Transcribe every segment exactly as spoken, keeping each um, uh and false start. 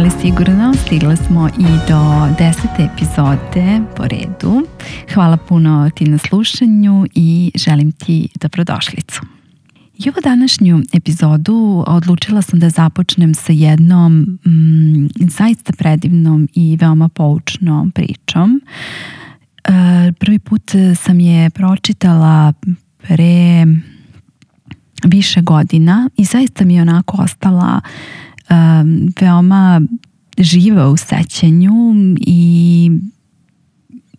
ali sigurno stigli smo i do desete epizode po redu. Hvala puno ti na slušanju i želim ti dobrodošlicu. I ovu današnju epizodu odlučila sam da započnem sa jednom mm, zaista predivnom i veoma poučnom pričom. E, prvi put sam je pročitala pre više godina i zaista mi je onako ostala um, veoma živa u sećanju i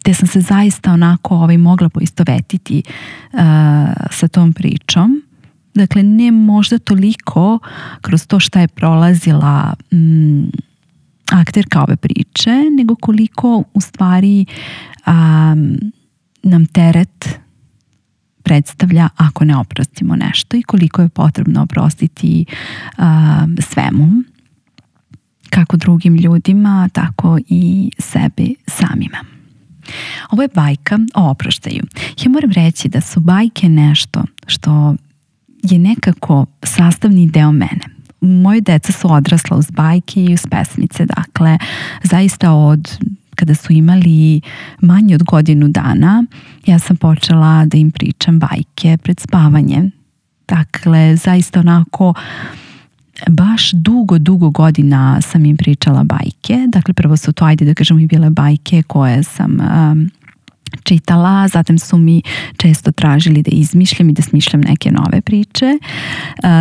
te sam se zaista onako ovaj, mogla poistovetiti uh, sa tom pričom. Dakle, ne možda toliko kroz to šta je prolazila um, akterka ove priče, nego koliko u stvari um, nam teret predstavlja ako ne oprostimo nešto i koliko je potrebno oprostiti uh, svemu, kako drugim ljudima, tako i sebi samima. Ovo je bajka o oproštaju. Ja moram reći da su bajke nešto što je nekako sastavni deo mene. Moje deca su odrasla uz bajke i uz pesmice, dakle, zaista od kada su imali manje od godinu dana, ja sam počela da im pričam bajke pred spavanje. Dakle, zaista onako, baš dugo, dugo godina sam im pričala bajke. Dakle, prvo su to, ajde da kažemo, i bile bajke koje sam um, čitala, zatim su mi često tražili da izmišljam i da smišljam neke nove priče,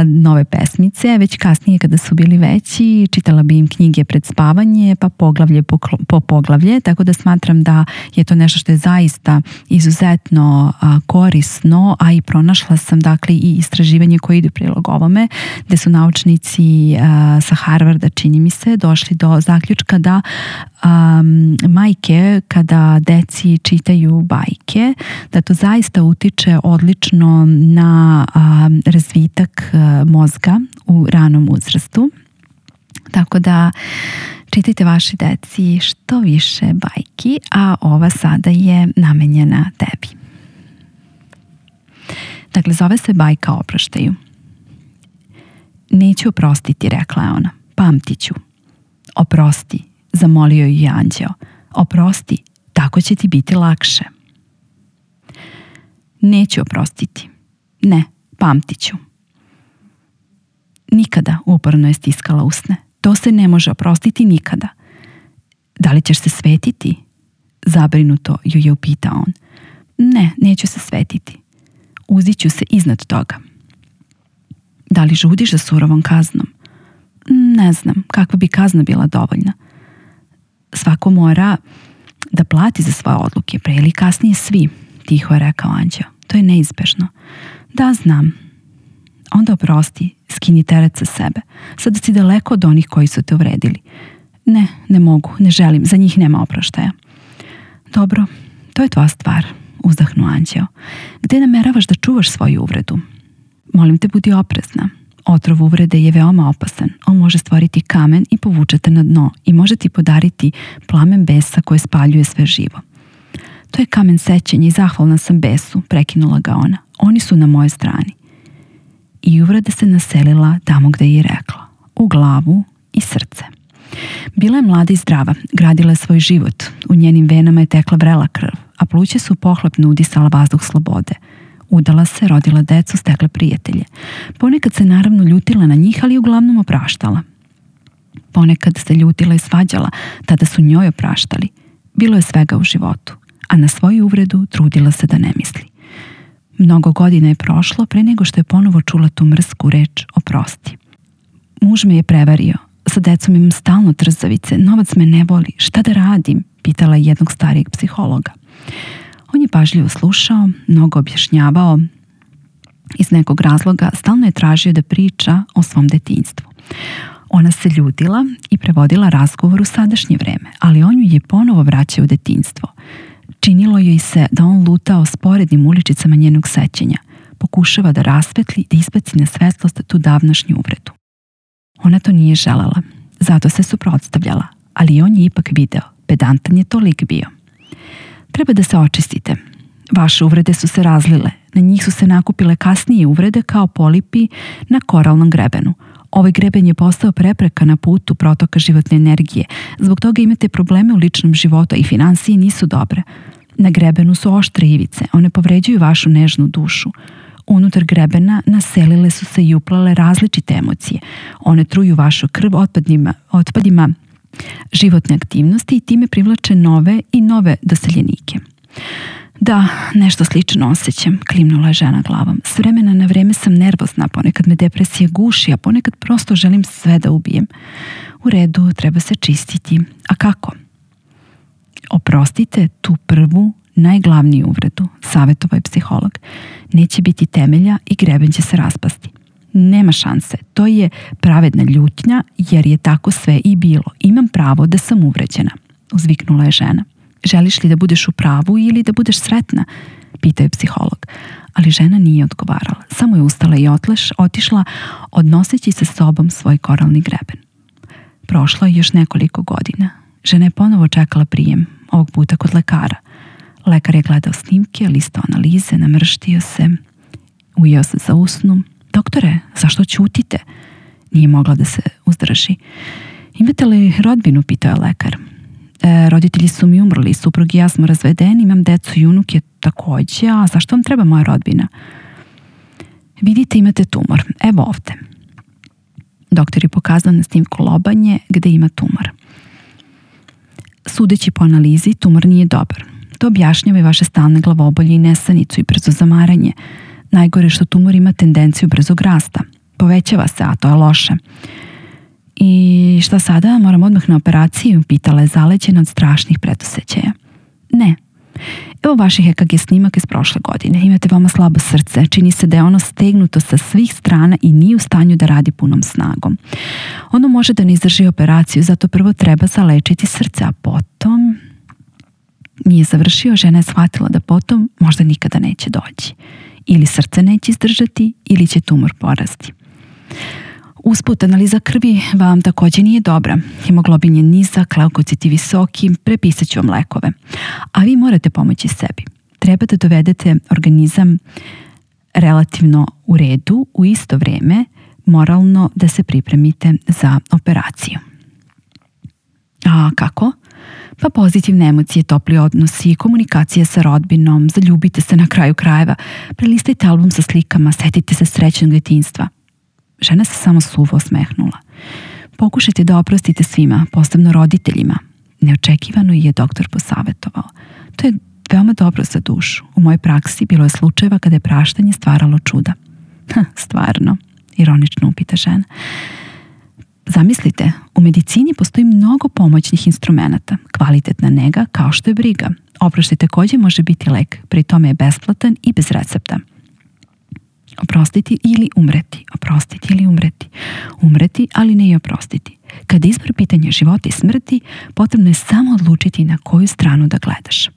nove pesmice. Već kasnije kada su bili veći, čitala bi im knjige pred spavanje, pa poglavlje po, po poglavlje, tako da smatram da je to nešto što je zaista izuzetno korisno, a i pronašla sam dakle i istraživanje koje ide prilog ovome, gde su naučnici sa Harvarda, čini mi se, došli do zaključka da um, majke kada deci čitaju bajke, da to zaista utiče odlično na a, razvitak a, mozga u ranom uzrastu. Tako da čitajte vaši deci što više bajki, a ova sada je namenjena tebi. Dakle, zove se bajka o oproštaju. Neću oprostiti, rekla je ona, pamtit ću. Oprosti, zamolio ju anđeo. Oprosti, tako će ti biti lakše. Neću oprostiti. Ne, pamtit ću. Nikada, uporno je stiskala usne. To se ne može oprostiti nikada. Da li ćeš se svetiti? Zabrinuto ju je upitao on. Ne, neću se svetiti. Uzit ću se iznad toga. Da li žudiš za surovom kaznom? Ne znam, kakva bi kazna bila dovoljna. Svako mora da plati za svoje odluke, pre ili kasnije svi, tiho je rekao anđeo. To je neizbežno. Da, znam. Onda oprosti, skini teret sa sebe. Sada si daleko od onih koji su te uvredili. Ne, ne mogu, ne želim, za njih nema oproštaja. Dobro, to je tvoja stvar, uzdahnuo anđeo. Gde nameravaš da čuvaš svoju uvredu? Molim te, budi oprezna. Otrov uvrede je veoma opasan. On može stvoriti kamen i povučete na dno i može ti podariti plamen besa koje spaljuje sve živo. To je kamen sećanja i zahvalna sam besu, prekinula ga ona. Oni su na mojoj strani. I uvreda se naselila tamo gde je rekla. U glavu i srce. Bila je mlada i zdrava, gradila je svoj život. U njenim venama je tekla vrela krv, a pluća su pohlepno udisala vazduh slobode. Udala se, rodila decu, stekla prijatelje. Ponekad se naravno ljutila na njih, ali uglavnom opraštala. Ponekad se ljutila i svađala, tada su njoj opraštali. Bilo je svega u životu, a na svoju uvredu trudila se da ne misli. Mnogo godina je prošlo pre nego što je ponovo čula tu mrsku reč oprosti. Muž me je prevario, sa decom imam stalno trzavice, novac me ne voli, šta da radim? Pitala je jednog starijeg psihologa. On je pažljivo slušao, mnogo objašnjavao. Iz nekog razloga stalno je tražio da priča o svom detinjstvu. Ona se ljutila i prevodila razgovor u sadašnje vreme, ali on ju je ponovo vraćao u detinjstvo. Činilo joj se da on lutao sporednim uličicama njenog sećanja. Pokušava da rasvetli, da isbaci na svetlost tu davnašnju uvredu. Ona to nije želela, zato se suprotstavljala, ali on je ipak video, pedantan je to lik bio. Treba da se očistite. Vaše uvrede su se razlile, na njih su se nakupile kasnije uvrede kao polipi na koralnom grebenu. Ovaj greben je postao prepreka na putu protoka životne energije. Zbog toga imate probleme u ličnom životu i finansije nisu dobre. Na grebenu su oštre ivice, one povređuju vašu nežnu dušu. Unutar grebena naselile su se i uplale različite emocije. One truju vašu krv otpadima, otpadima životne aktivnosti i time privlače nove i nove doseljenike. Da, nešto slično osjećam, klimnula je žena glavom. S vremena na vreme sam nervozna, ponekad me depresija guši, a ponekad prosto želim sve da ubijem. U redu, treba se čistiti. A kako? Oprostite tu prvu, najglavniju uvredu, savjetovao je psiholog. Neće biti temelja i greben će se raspasti. Nema šanse, to je pravedna ljutnja jer je tako sve i bilo. Imam pravo da sam uvređena, uzviknula je žena. Želiš li da budeš u pravu ili da budeš sretna? Pitao je psiholog. Ali žena nije odgovarala. Samo je ustala i otleš, otišla odnoseći sa sobom svoj koralni greben. Prošlo je još nekoliko godina. Žena je ponovo čekala prijem, ovog puta kod lekara. Lekar je gledao snimke, listao analize, namrštio se, ujeo se za usnu. Doktore, zašto ćutite? Nije mogla da se uzdrži. Imate li rodbinu? Pitao je lekar. E, roditelji su mi umrli, suprug i ja smo razvedeni, imam decu i unuke takođe, a zašto vam treba moja rodbina? Vidite, imate tumor, evo ovde. Doktor je pokazao na snimku lobanje gde ima tumor. Sudeći po analizi, tumor nije dobar. To objašnjava i vaše stalne glavobolje i nesanicu i brzo zamaranje. Najgore što tumor ima tendenciju brzog rasta. Povećava se, a to je loše. I šta sada? Moram odmah na operaciju? Pitala je zaleđena od strašnih predosećaja. Ne. Evo vaših E K G snimaka iz prošle godine. Imate veoma slabo srce. Čini se da je ono stegnuto sa svih strana i nije u stanju da radi punom snagom. Ono može da ne izdrži operaciju, zato prvo treba zalečiti srce, a potom... Nije završio, žena je shvatila da potom možda nikada neće doći. Ili srce neće izdržati, ili će tumor porasti. Usput, analiza krvi vam također nije dobra. Hemoglobin je nizak, leukociti visoki, prepisat ću vam lekove. A vi morate pomoći sebi. Treba da dovedete organizam relativno u redu, u isto vrijeme moralno da se pripremite za operaciju. A kako? Pa pozitivne emocije, topli odnosi, komunikacije sa rodbinom, zaljubite se na kraju krajeva, prelistajte album sa slikama, setite se srećnog djetinjstva. Žena se samo suvo osmehnula. Pokušajte da oprostite svima, posebno roditeljima. Neočekivano je doktor posavjetovao. To je veoma dobro za dušu. U mojoj praksi bilo je slučajeva kada je praštanje stvaralo čuda. Ha, stvarno, ironično upita žena. Zamislite, u medicini postoji mnogo pomoćnih instrumenata. Kvalitetna nega kao što je briga. Oproštaj također može biti lek, pri tome je besplatan i bez recepta. Oprostiti ili umreti, oprostiti ili umreti. Umreti, ali ne i oprostiti. Kada izbor pitanja života i smrti, potrebno je samo odlučiti na koju stranu da gledaš.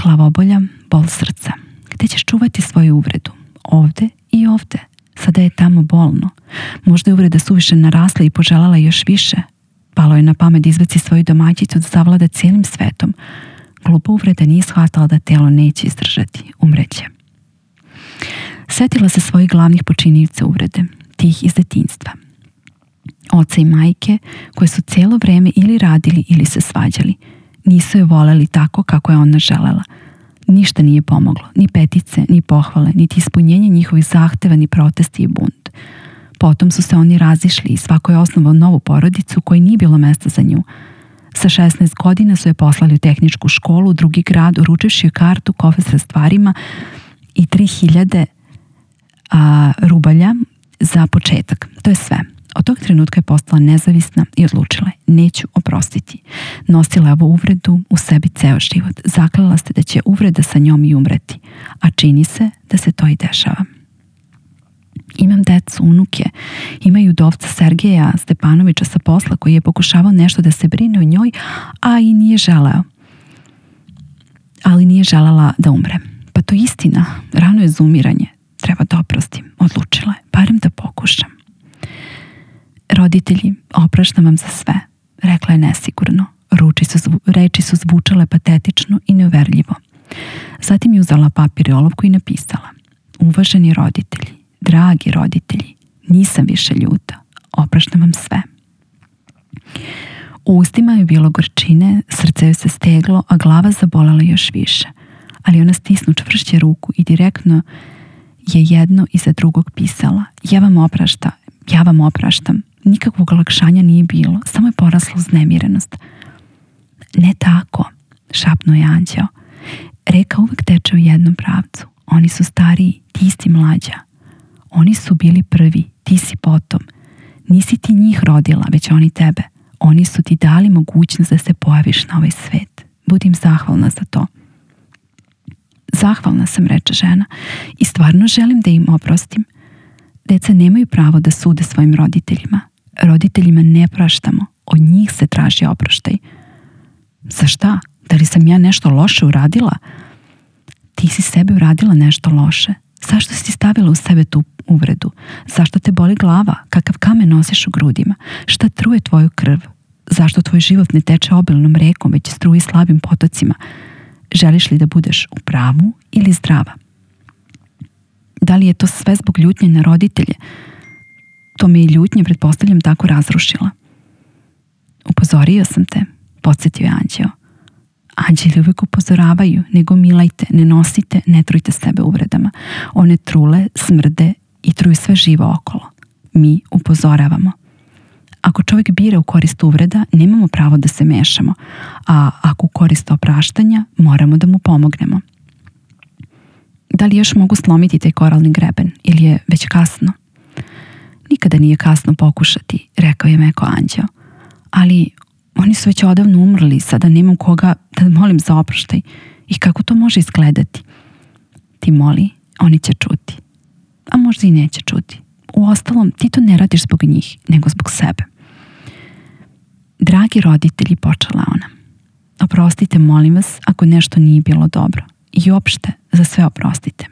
Glavobolja, bol srca. Gde ćeš čuvati svoju uvredu? Ovde i ovde. Sada je tamo bolno. Možda je uvreda suviše narasla i poželjela još više. Palo je na pamet izbaci svoju domaćicu da zavlada cijelim svetom. Glupa uvreda nije shvatala da telo neće izdržati. Umreće. Sjetila se svojih glavnih počinioca uvrede, tih iz detinjstva. Oca i majke koje su cijelo vrijeme ili radili ili se svađali. Nisu je voljeli tako kako je ona želela. Ništa nije pomoglo, ni petice, ni pohvale, niti ispunjenje njihovih zahteva, ni protesti i bunt. Potom su se oni razišli i svako je osnovao novu porodicu koji nije bilo mesta za nju. Sa šesnaest godina su je poslali u tehničku školu u drugi grad, uručivši joj kartu, kofe sa stvarima i tri hiljade a, rubalja za početak. To je sve. Od tog trenutka je postala nezavisna i odlučila je, neću oprostiti. Nosila je ovu uvredu u sebi ceo život. Zaklela se da će uvreda sa njom i umreti, a čini se da se to i dešava. Imam decu, unuke, imaju udovca Sergeja Stepanovića sa posla koji je pokušavao nešto da se brine o njoj, a i nije želeo. Ali nije želela da umre. Pa to je istina, rano je za umiranje. Treba da oprostim, odlučila je, barem da pokušam. Roditelji, opraštam vam za sve, rekla je nesigurno. Ruči su, reči su zvučale patetično i neuverljivo. Zatim je uzela papir i olovku i napisala: Uvaženi roditelji, dragi roditelji, Nisam više ljuta. Opraštam vam sve. U ustima je bilo gorčine, srce joj se steglo, a glava zabolala još više. Ali ona stisnu čvršće ruku i direktno je jedno iza drugog pisala: ja vam opraštam, ja vam opraštam. Nikakvog olakšanja nije bilo, samo je porasla uznemirenost. Ne tako, šapnuo je anđeo. Reka uvek teče u jednom pravcu. Oni su stariji, ti si mlađa. Oni su bili prvi, ti si potom. Nisi ti njih rodila, već oni tebe. Oni su ti dali mogućnost da se pojaviš na ovaj svet. Budim zahvalna za to. Zahvalna sam, reče žena, i stvarno želim da im oprostim. Deca nemaju pravo da sude svojim roditeljima. Roditeljima ne praštamo, od njih se traži oproštaj. Za šta? Da li sam ja nešto loše uradila? Ti si sebi uradila nešto loše. Zašto si stavila u sebe tu uvredu? Zašto te boli glava? Kakav kamen nosiš u grudima? Šta truje tvoju krv? Zašto tvoj život ne teče obilnom rekom, već struji slabim potocima? Želiš li da budeš u pravu ili zdrava? Da li je to sve zbog ljutnje na roditelje? To me i ljutnje, pretpostavljam, tako razrušila. Upozorio sam te, podsjetio je anđeo. Anđeli uvijek upozoravaju: ne gomilajte, ne nosite, ne trujte sebe uvredama. One trule, smrde i truju sve živo okolo. Mi upozoravamo. Ako čovjek bira u korist uvreda, nemamo pravo da se mešamo, a ako u korist opraštanja, moramo da mu pomognemo. Da li još mogu slomiti taj koralni greben ili je već kasno? Nikada nije kasno pokušati, rekao je meko anđeo. Ali oni su već odavno umrli, sada nemam koga da molim za oproštaj. I kako to može izgledati? Ti moli, oni će čuti. A možda i neće čuti. Uostalom, ti to ne radiš zbog njih, nego zbog sebe. Dragi roditelji, počela ona. Oprostite, molim vas, ako nešto nije bilo dobro. I opšte, za sve oprostite.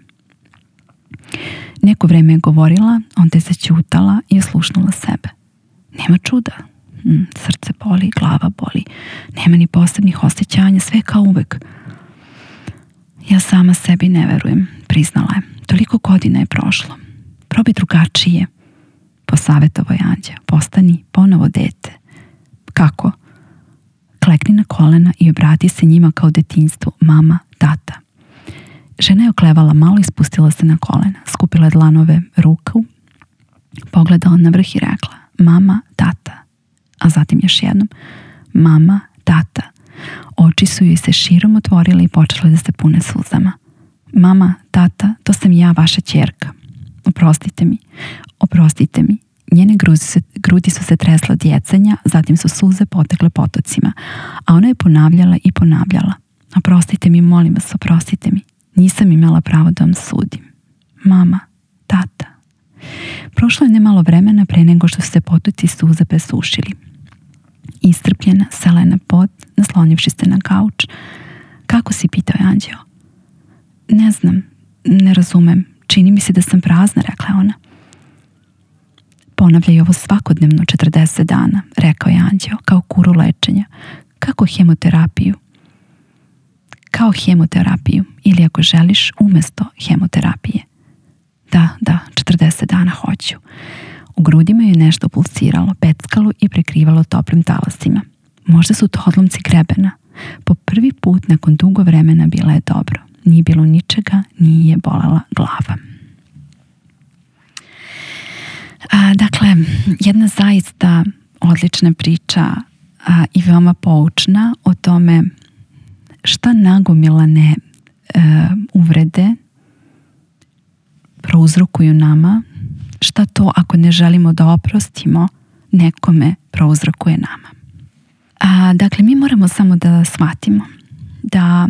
Neko vreme je govorila, onda je zaćutala i oslušnula sebe. Nema čuda. Hmm, srce boli, glava boli. Nema ni posebnih osjećanja, sve kao uvek. Ja sama sebi ne verujem, priznala je. Toliko godina je prošlo. Probi drugačije. Posavjetovao je anđeo. Postani ponovo dete. Kako? Klekni na kolena i obrati se njima kao detinjstvu. Mama, tata. Žena je oklevala malo i spustila se na kolena. Skupila je dlanove ruku, pogledala na vrh i rekla: mama, tata. A zatim još jednom: mama, tata. Oči su joj se širom otvorile i počele da se pune suzama. Mama, tata, to sam ja, vaša ćerka. Oprostite mi, oprostite mi. Njene grudi su, grudi su se tresle od jecanja, zatim su suze potekle potocima, a ona je ponavljala i ponavljala: oprostite mi, molim vas, oprostite mi. Nisam imala pravo da vam sudim. Mama, tata. Prošlo je nemalo vremena pre nego što su se potoci suza presušili. Iscrpljena, sela je na pod, naslonivši se na kauč. Kako si, pitao je anđeo. Ne znam, ne razumem. Čini mi se da sam prazna, rekla ona. Ponavljaj ovo svakodnevno četrdeset dana, rekao je anđeo, kao kuru lečenja. Kako hemoterapiju? Kao hemoterapiju, ili ako želiš, umesto hemoterapije. Da, da, četrdeset dana hoću. U grudima je nešto pulsiralo, peckalo i prekrivalo toplim talasima. Možda su to odlomci grebena. Po prvi put nakon dugo vremena bila je dobro. Nije bilo ničega, nije bolela glava. A, dakle, jedna zaista odlična priča a, i veoma poučna o tome šta nagomilane e, uvrede prouzrokuju nama, šta to ako ne želimo da oprostimo nekome prouzrokuje nama. A, dakle, mi moramo samo da shvatimo da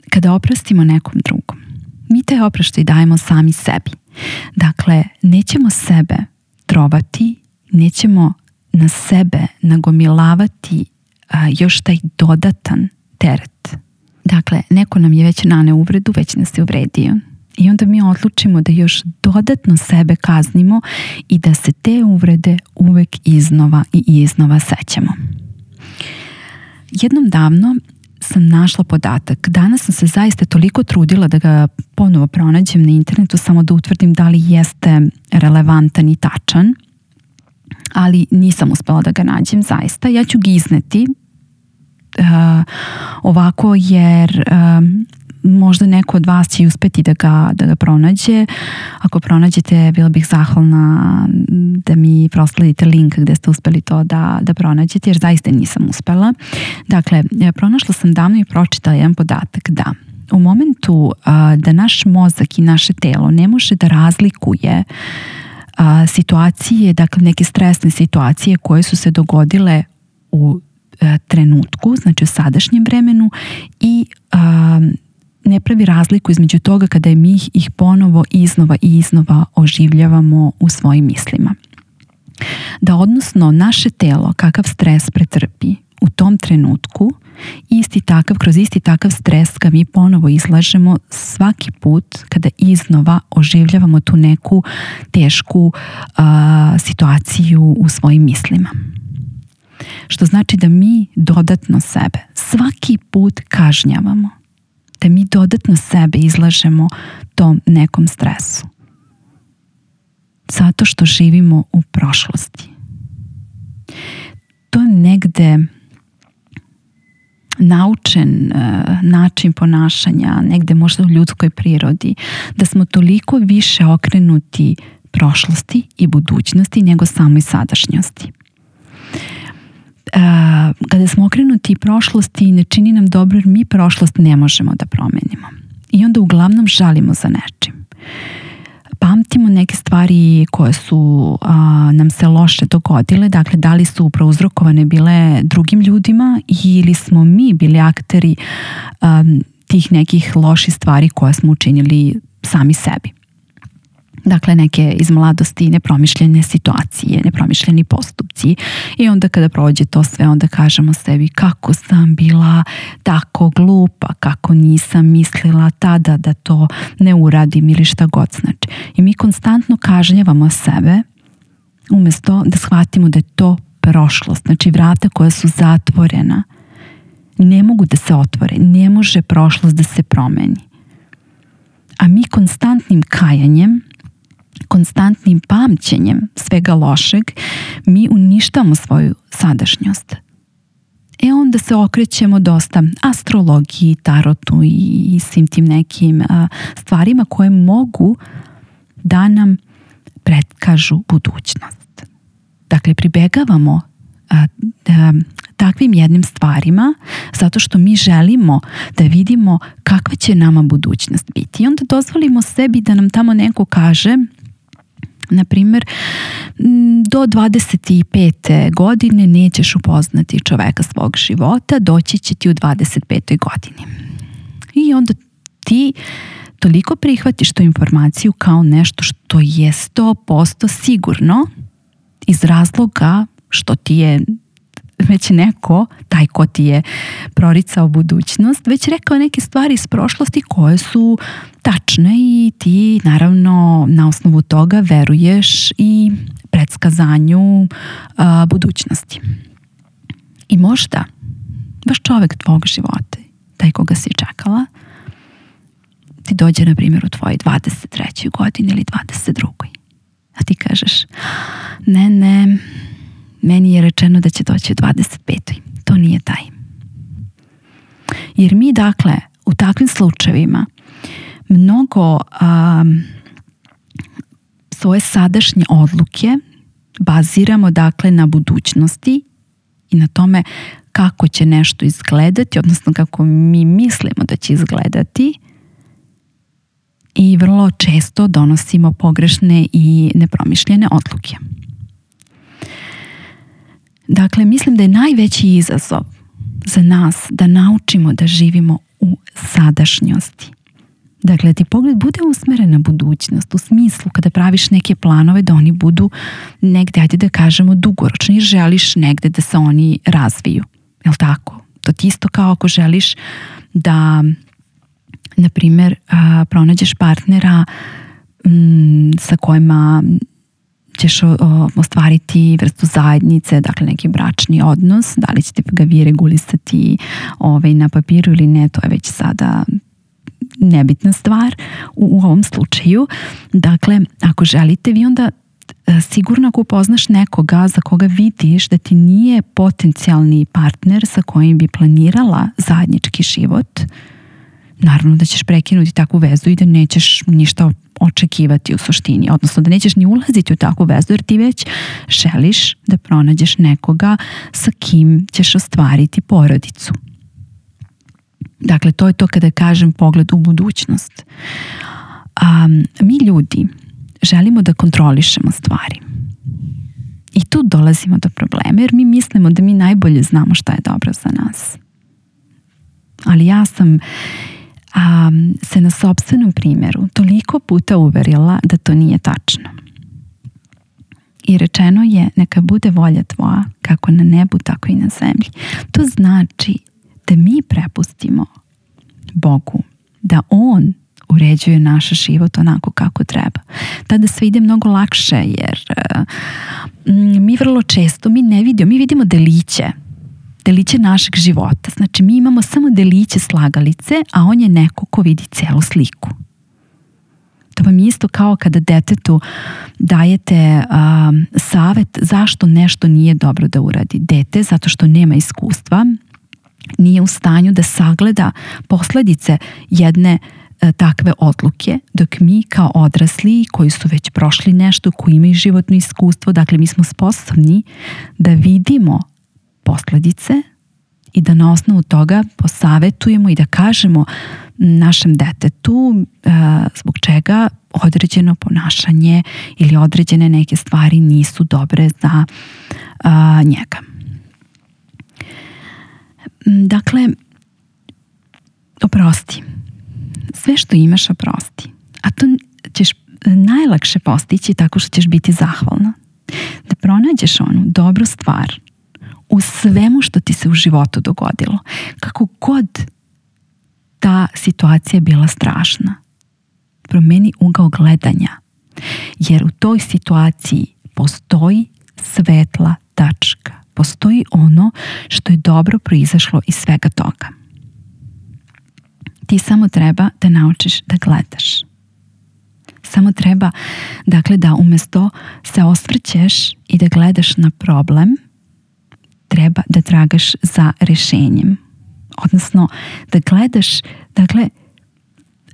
kada oprostimo nekom drugom, mi taj oproštaj dajemo sami sebi. Dakle, nećemo sebe trovati, nećemo na sebe nagomilavati a, još taj dodatan teret. Dakle, neko nam je već naneo uvredu, već nas je uvredio. I onda mi odlučimo da još dodatno sebe kaznimo i da se te uvrede uvek iznova i iznova sećamo. Jednom davno sam našla podatak. Danas sam se zaista toliko trudila da ga ponovo pronađem na internetu, samo da utvrdim da li jeste relevantan i tačan, ali nisam uspela da ga nađem zaista. Ja ću ga izneti uh, ovako jer uh, možda neko od vas će uspeti da ga, da ga pronađe. Ako pronađete, bila bih zahvalna da mi prosledite link gde ste uspeli to da, da pronađete, jer zaista nisam uspela. Dakle, pronašla sam davno i pročitala jedan podatak da u momentu a, da naš mozak i naše telo ne može da razlikuje a, situacije, dakle neke stresne situacije koje su se dogodile u a, trenutku, znači u sadašnjem vremenu i a, ne pravi razliku između toga kada mi ih ponovo iznova i iznova oživljavamo u svojim mislima. Da odnosno naše telo kakav stres pretrpi u tom trenutku, isti takav, kroz isti takav stres ga mi ponovo izlažemo svaki put kada iznova oživljavamo tu neku tešku a, situaciju u svojim mislima. Što znači da mi dodatno sebe svaki put kažnjavamo. Da mi dodatno sebe izlažemo tom nekom stresu. Zato što živimo u prošlosti. To je negde naučen uh, način ponašanja, negde možda u ljudskoj prirodi, da smo toliko više okrenuti prošlosti i budućnosti nego samoj sadašnjosti. Uh, kada smo okrenuti prošlosti ne čini nam dobro jer mi prošlost ne možemo da promenimo i onda uglavnom žalimo za nečim, pamtimo neke stvari koje su uh, nam se loše dogodile, dakle da li su prouzrokovane bile drugim ljudima ili smo mi bili akteri um, tih nekih loših stvari koje smo učinili sami sebi. Dakle, neke iz mladosti nepromišljene situacije, nepromišljeni postupci i onda kada prođe to sve, onda kažemo sebi kako sam bila tako glupa, kako nisam mislila tada da to ne uradim ili šta god znači. I mi konstantno kažnjavamo sebe umjesto da shvatimo da je to prošlost. Znači vrata koja su zatvorena ne mogu da se otvore, ne može prošlost da se promeni. A mi konstantnim kajanjem, konstantnim pamćenjem svega lošeg, mi uništamo svoju sadašnjost. E onda se okrećemo dosta astrologiji, tarotu i, i svim tim nekim a, stvarima koje mogu da nam predkažu budućnost. Dakle, pribegavamo a, a, takvim jednim stvarima zato što mi želimo da vidimo kakva će nama budućnost biti. I onda dozvolimo sebi da nam tamo neko kaže, na primjer, do dvadeset pete godine nećeš upoznati čoveka svog života, doći će ti u dvadeset petoj godini. I onda ti toliko prihvatiš tu informaciju kao nešto što je sto posto sigurno iz razloga što ti je već neko, taj ko ti je proricao budućnost, već rekao neke stvari iz prošlosti koje su tačne i ti naravno na osnovu toga veruješ i predskazanju a, budućnosti. I možda baš čovek tvog života, taj koga si čekala, ti dođe na primjer u tvojoj dvadeset trećoj godini ili dvadeset drugoj. A ti kažeš, ne, ne, meni je rečeno da će doći u dvadeset petoj. To nije taj. Jer mi dakle u takvim slučajevima mnogo um, svoje sadašnje odluke baziramo dakle na budućnosti i na tome kako će nešto izgledati, odnosno kako mi mislimo da će izgledati, i vrlo često donosimo pogrešne i nepromišljene odluke. Dakle, mislim da je najveći izazov za nas da naučimo da živimo u sadašnjosti. Dakle, ti pogled bude usmeren na budućnost, u smislu kada praviš neke planove da oni budu negde, ajde da kažemo, dugoročni i želiš negde da se oni razviju. Jel tako? To ti isto kao ako želiš da, na primjer, pronađeš partnera m, sa kojima ćeš o, ostvariti vrstu zajednice, dakle neki bračni odnos, da li ćete ga vi regulisati ovaj, na papiru ili ne, to je već sada nebitna stvar u, u ovom slučaju. Dakle, ako želite, vi onda sigurno ako upoznaš nekoga za koga vidiš da ti nije potencijalni partner sa kojim bi planirala zajednički život, naravno da ćeš prekinuti takvu vezu i da nećeš ništa očekivati u suštini, odnosno da nećeš ni ulaziti u takvu vezu jer ti već želiš da pronađeš nekoga sa kim ćeš ostvariti porodicu. Dakle, to je to kada kažem pogled u budućnost. Um, mi ljudi želimo da kontrolišemo stvari. I tu dolazimo do problema jer mi mislimo da mi najbolje znamo šta je dobro za nas. Ali ja sam um, se na sopstvenom primjeru toliko puta uverila da to nije tačno. I rečeno je neka bude volja tvoja kako na nebu tako i na zemlji. To znači da mi prepustimo Bogu da On uređuje naš život onako kako treba. Tada sve ide mnogo lakše jer uh, mi vrlo često mi ne vidimo, mi vidimo deliće deliće našeg života. Znači mi imamo samo deliće slagalice, a on je neko ko vidi celu sliku. To vam je isto kao kada detetu dajete um, savjet zašto nešto nije dobro da uradi. Dete, zato što nema iskustva, nije u stanju da sagleda posljedice jedne e, takve odluke, dok mi kao odrasli koji su već prošli nešto, koji imaju životno iskustvo, dakle mi smo sposobni da vidimo posljedice i da na osnovu toga posavetujemo i da kažemo našem detetu e, zbog čega određeno ponašanje ili određene neke stvari nisu dobre za e, njega. Dakle, oprosti. Sve što imaš oprosti. A to ćeš najlakše postići tako što ćeš biti zahvalna. Da pronađeš onu dobru stvar u svemu što ti se u životu dogodilo. Kako god ta situacija bila strašna. Promeni ugao gledanja. Jer u toj situaciji postoji svetla tačka. Postoji ono što je dobro proizašlo iz svega toga. Ti samo treba da naučiš da gledaš. Samo treba, dakle, da umjesto se osvrćeš i da gledaš na problem, treba da tragaš za rješenjem. Odnosno, da gledaš, dakle,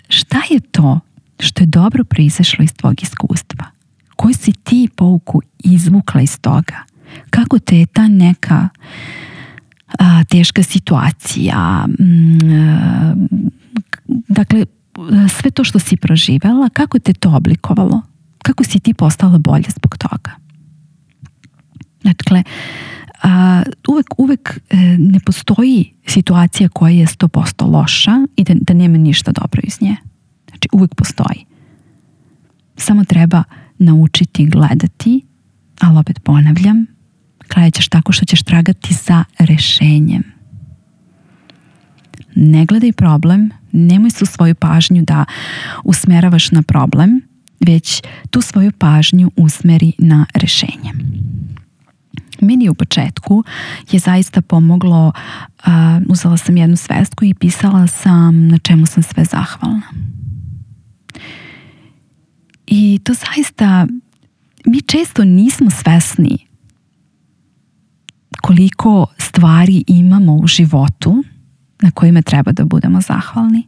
šta je to što je dobro proizašlo iz tvog iskustva? Koju si ti pouku izvukla iz toga? Kako te je ta neka a, teška situacija, m, a, dakle, sve to što si proživela, kako te to oblikovalo? Kako si ti postala bolja zbog toga? Dakle, a, uvek, uvek ne postoji situacija koja je sto posto loša i da, da nema ništa dobro iz nje. Znači, uvek postoji. Samo treba naučiti gledati, ali opet ponavljam, gledat ćeš tako što ćeš tragati za rešenjem. Ne gledaj problem, nemoj su svoju pažnju da usmeravaš na problem, već tu svoju pažnju usmeri na rešenje. Meni u početku je zaista pomoglo, uh, uzela sam jednu svestku i pisala sam na čemu sam sve zahvalna. I to zaista, mi često nismo svesni koliko stvari imamo u životu na kojima treba da budemo zahvalni.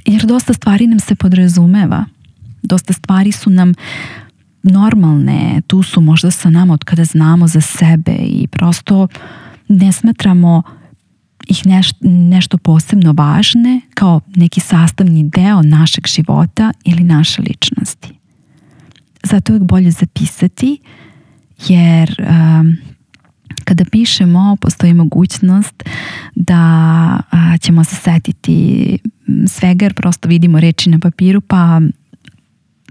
Jer dosta stvari nam se podrazumeva. Dosta stvari su nam normalne, tu su možda sa nama od kada znamo za sebe i prosto ne smatramo ih neš, nešto posebno važne kao neki sastavni deo našeg života ili naše ličnosti. Zato je bolje zapisati jer um, kada pišemo postoji mogućnost da a, ćemo se setiti svega jer prosto vidimo reči na papiru pa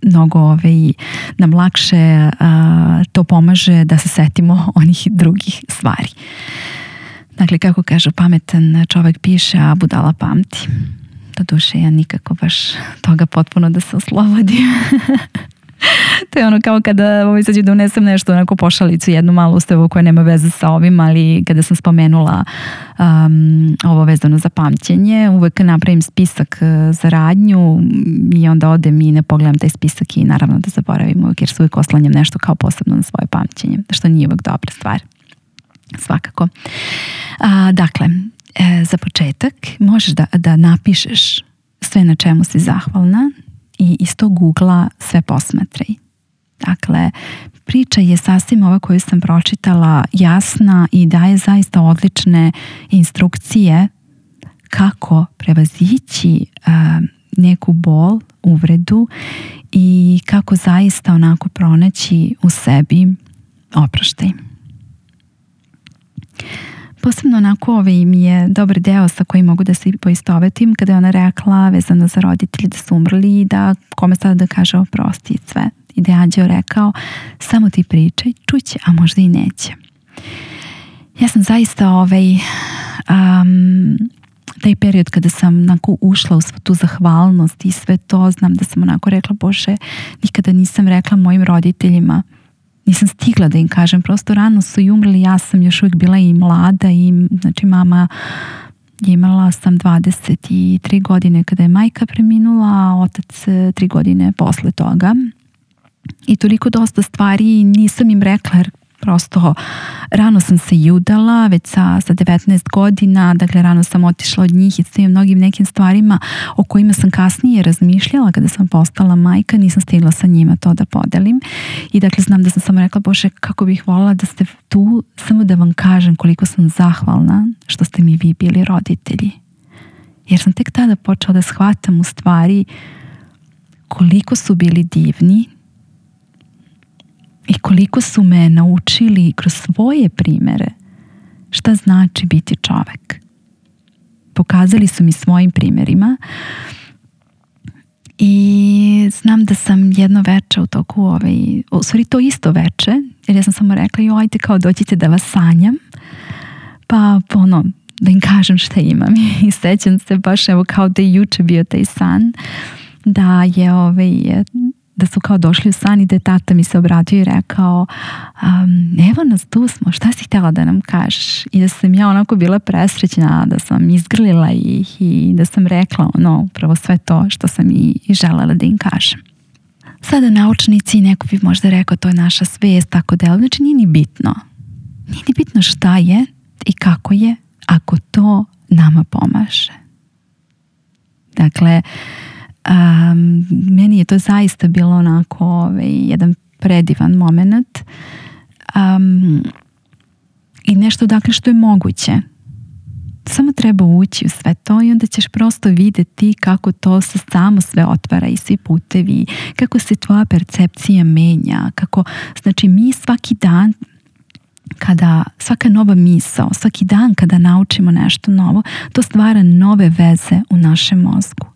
mnogo ovaj, nam lakše a, to pomaže da se setimo onih drugih stvari. Dakle, kako kažu, pametan čovjek piše, a budala pamti. Doduše, ja nikako baš toga potpuno da se oslobodim. To je ono kao kada ovaj, sad ću da unesem nešto, onako pošalicu, jednu malu ustavu koja nema veze sa ovim, ali kada sam spomenula um, ovo vezano za pamćenje, uvek napravim spisak za radnju i onda odem i ne pogledam taj spisak i naravno da zaboravim uvek, jer se uvek oslanjam nešto kao posebno na svoje pamćenje, što nije uvek dobra stvar. Svakako. A, dakle, e, za početak možeš da, da napišeš sve na čemu si zahvalna i iz tog ugla sve posmatraj. Dakle, priča je sasvim ova koju sam pročitala jasna i daje zaista odlične instrukcije kako prevazići uh, neku bol, uvredu i kako zaista onako pronaći u sebi oproštaj. Posebno onako ovaj mi je dobar deo sa kojim mogu da se poistovetim kada je ona rekla vezano za roditelji da su umrli i da kome sada da kaže oprosti i sve. I da je Anđeo rekao samo ti pričaj, čuće, a možda i neće. Ja sam zaista ovaj um, taj period kada sam onako ušla u svu tu zahvalnost i sve to, znam da sam onako rekla, Bože, nikada nisam rekla mojim roditeljima, nisam stigla da im kažem, prosto rano su i umrli, ja sam još uvijek bila i mlada i znači mama imala sam dvadeset tri godine kada je majka preminula, a otac tri godine posle toga. I toliko dosta stvari nisam im rekla jer prosto rano sam se i udala, već sa, sa devetnaest godina, dakle rano sam otišla od njih i s tim mnogim nekim stvarima o kojima sam kasnije razmišljala kada sam postala majka, nisam stigla sa njima to da podelim. I dakle znam da sam samo rekla, Bože, kako bih voljela da ste tu, samo da vam kažem koliko sam zahvalna što ste mi vi bili roditelji. Jer sam tek tada počela da shvatam u stvari koliko su bili divni i koliko su me naučili kroz svoje primere šta znači biti čovek. Pokazali su mi svojim primerima i znam da sam jedno veče u toku ovaj, u stvari to isto veče, jer ja sam samo rekla, joj, ajde kao dođite da vas sanjam, pa ono, da im kažem šta imam. I sećam se baš evo kao da je juče bio taj san, da je ovaj da su kao došli u san i da je tata mi se obratio i rekao um, evo nas, tu smo, šta si htjela da nam kažeš? I da sam ja onako bila presrećna, da sam izgrlila ih i da sam rekla ono, upravo sve to što sam i, i želela da im kažem. Sada naučnici, neko bi možda rekao to je naša svest, tako da, znači nije ni bitno. Nije ni bitno šta je i kako je, ako to nama pomaže. Dakle, Um, meni je to zaista bilo onako ovaj, jedan predivan moment um, i nešto dakle što je moguće. Samo treba ući u sve to i onda ćeš prosto vidjeti kako to se samo sve otvara i svi putevi, kako se tvoja percepcija menja, kako, znači mi svaki dan kada, svaka nova misao, svaki dan kada naučimo nešto novo, to stvara nove veze u našem mozgu.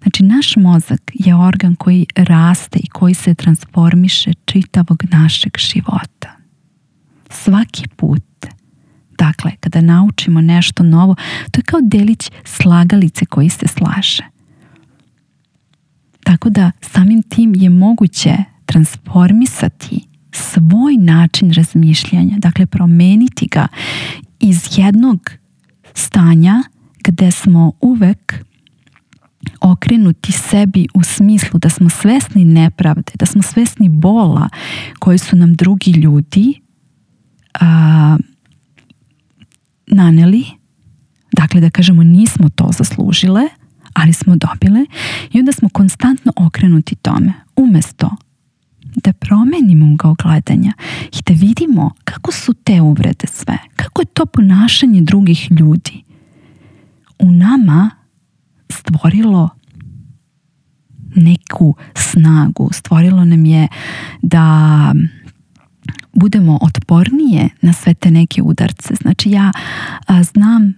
Znači, naš mozak je organ koji raste i koji se transformiše čitavog našeg života. Svaki put. Dakle, kada naučimo nešto novo, to je kao delić slagalice koji se slaže. Tako da samim tim je moguće transformisati svoj način razmišljanja. Dakle, promeniti ga iz jednog stanja gde smo uvek okrenuti sebi u smislu da smo svesni nepravde, da smo svesni bola koji su nam drugi ljudi a, naneli. Dakle, da kažemo nismo to zaslužile, ali smo dobile i onda smo konstantno okrenuti tome. Umesto da promenimo ugao gledanja i da vidimo kako su te uvrede sve, kako je to ponašanje drugih ljudi u nama stvorilo neku snagu, stvorilo nam je da budemo otpornije na sve te neke udarce. Znači ja a, znam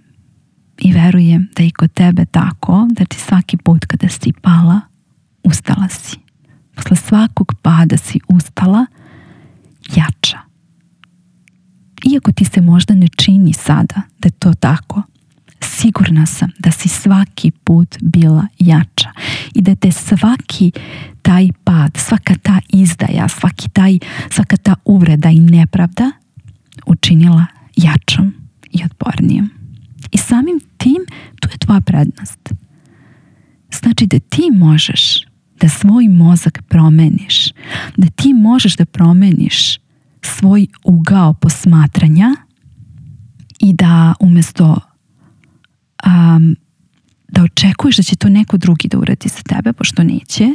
i verujem da i kod tebe tako, da ti svaki put kada si pala, ustala si. Posle svakog pada si ustala jača. Iako ti se možda ne čini sada da je to tako, sigurna sam da si svaki put bila jača i da te svaki taj pad, svaka ta izdaja, svaki taj, svaka ta uvreda i nepravda učinila jačom i otpornijom. I samim tim tu je tvoja prednost. Znači da ti možeš da svoj mozak promeniš, da ti možeš da promeniš svoj ugao posmatranja i da umjesto um, da očekuješ da će to neko drugi da uradi za tebe, pošto neće,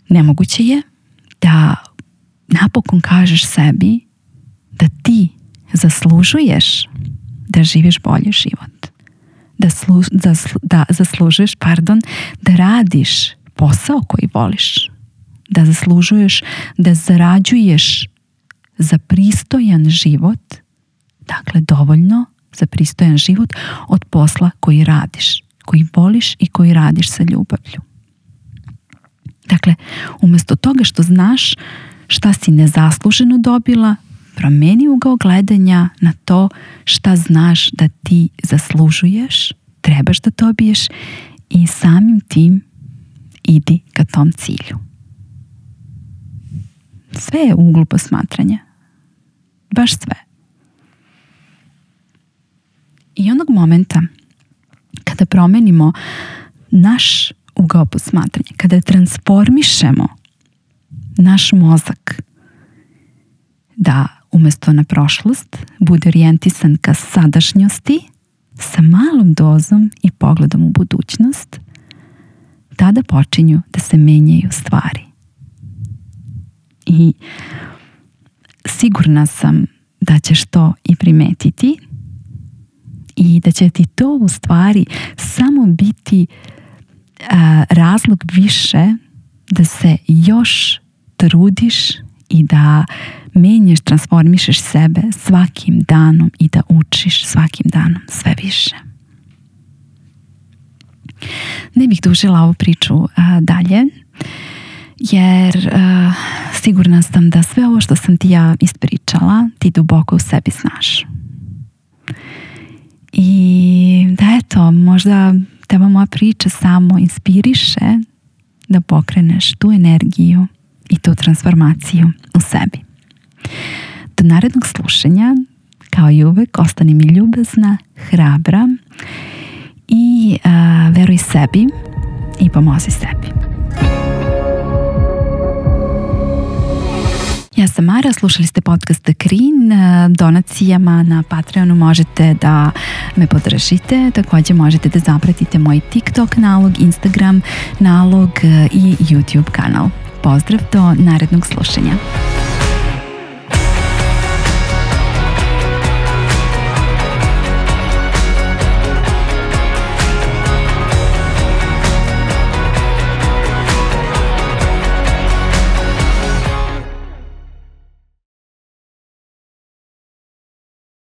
nemoguće je da napokon kažeš sebi da ti zaslužuješ da živiš bolji život. Da, slu, da, da zaslužuješ, pardon, da radiš posao koji voliš. Da zaslužuješ da zarađuješ za pristojan život, dakle dovoljno za pristojan život od posla koji radiš, koji voliš i koji radiš sa ljubavlju. Dakle, umjesto toga što znaš šta si nezasluženo dobila, promeni ugao gledanja na to šta znaš da ti zaslužuješ, trebaš da dobiješ i samim tim idi ka tom cilju. Sve je u uglu posmatranja. Baš sve. I onog momenta kada promenimo naš ugao posmatranja, kada transformišemo naš mozak da umjesto na prošlost bude orijentisan ka sadašnjosti sa malom dozom i pogledom u budućnost, tada počinju da se menjaju stvari. I sigurna sam da ćeš to i primetiti i da će ti to u stvari samo biti a, razlog više da se još trudiš i da menjaš, transformišeš sebe svakim danom i da učiš svakim danom sve više. Ne bih dužila ovu priču a, dalje, jer a, sigurna sam da sve ovo što sam ti ja ispričala, ti duboko u sebi znaš. I da eto, možda teba moja priča samo inspiriše da pokreneš tu energiju i tu transformaciju u sebi. Do narednog slušanja, kao i uvek, ostani mi ljubazna, hrabra i a, veruj sebi i pomozi sebi. Ja sam Mara, slušali ste podcast The Green. Donacijama na Patreonu možete da me podržite. Također možete da zapratite moj TikTok nalog, Instagram nalog i YouTube kanal. Pozdrav do narednog slušanja.